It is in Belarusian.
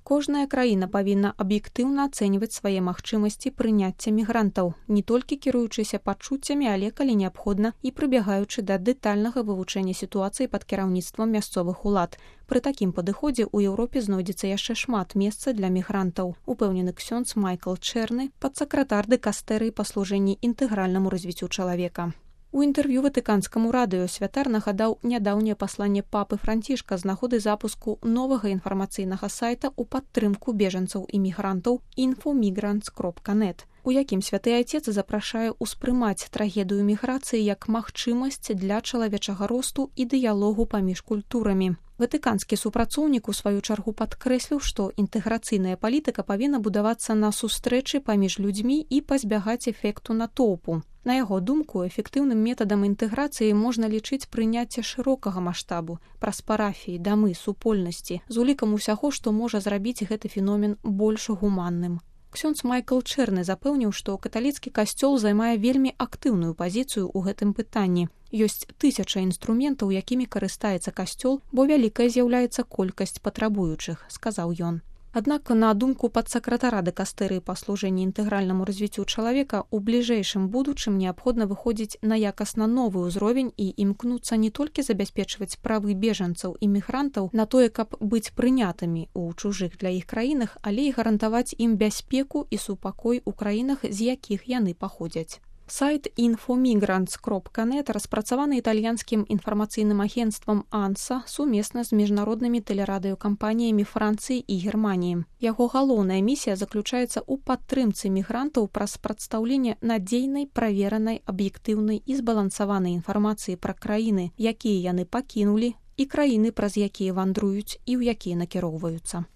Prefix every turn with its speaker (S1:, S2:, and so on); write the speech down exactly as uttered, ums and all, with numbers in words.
S1: Кожная краіна павінна аб'ектыўна ацэньваць свае магчымасці прыняцця мігрантаў, не толькі кіруючыся пачуццямі, але калі неабходна і прыбягаючы да дэтальнага вывучэння сітуацыі пад кіраўніцтвам мясцовых улад. Пры такім падыходзе ў Еўропе знойдзецца яшчэ шмат месца для мігрантаў, упэўнены ксёндз Майкл Чэрны, падсакратар дыкастэрыі па служэнні інтэгральнаму развіццю чалавека. У інтэрв'ю ватыканскаму радыё святар нагадаў нядаўняе пасланне папы Францішка з нагоды запуску новага інфармацыйнага сайта ў падтрымку бежанцаў і мігрантаў інфомігрантс кропка нет, у якім святы айцец запрашае ўспрымаць трагедыю міграцыі як магчымасць для чалавечага росту і дыялогу паміж культурамі. Ватыканскі супрацоўнік у сваю чаргу падкрэсліў, што інтэграцыйная палітыка павінна будавацца на сустрэчы паміж людзьмі і пазбягаць эфекту натоўпу. На яго думку, эфектыўным метадам інтэграцыі можна лічыць прыняцце шырокага маштабу, праз парафіі, дамы, супольнасці, з улікам усяго, што можа зрабіць гэты феномен больш гуманным. Ксёндз Майкл Чэрны запэўніў, што каталіцкі касцёл займае вельмі актыўную пазіцыю ў гэтым пытанні. Ёсць тысяча інструментаў, якімі карыстаецца касцёл, бо вялікая з'яўляецца колькасць патрабуючых, сказаў ён. Аднак, на думку падсакратара дыкастэрыі па служэнні інтэгральнаму развіццю чалавека, у бліжэйшым будучым неабходна выходзіць на якасна новы ўзровень і імкнуцца не толькі забяспечваць правы бежанцаў і мігрантаў на тое, каб быць прынятымі ў чужых для іх краінах, але і гарантаваць ім бяспеку і супакой у краінах, з якіх яны паходзяць. Сайт інфомігрантс кропка нет распрацаваны італьянскім інфармацыйным агенцтвам анса сумесна з міжнароднымі тэлерадыёкампаніямі Францыі і Германіі. Яго галоўная місія заключаецца ў падтрымцы мігрантаў праз прадстаўленне надзейнай, праверанай, аб'ектыўнай і збалансаванай інфармацыі пра краіны, якія яны пакінулі, і краіны, праз якія вандруюць і ў якія накіроўваюцца.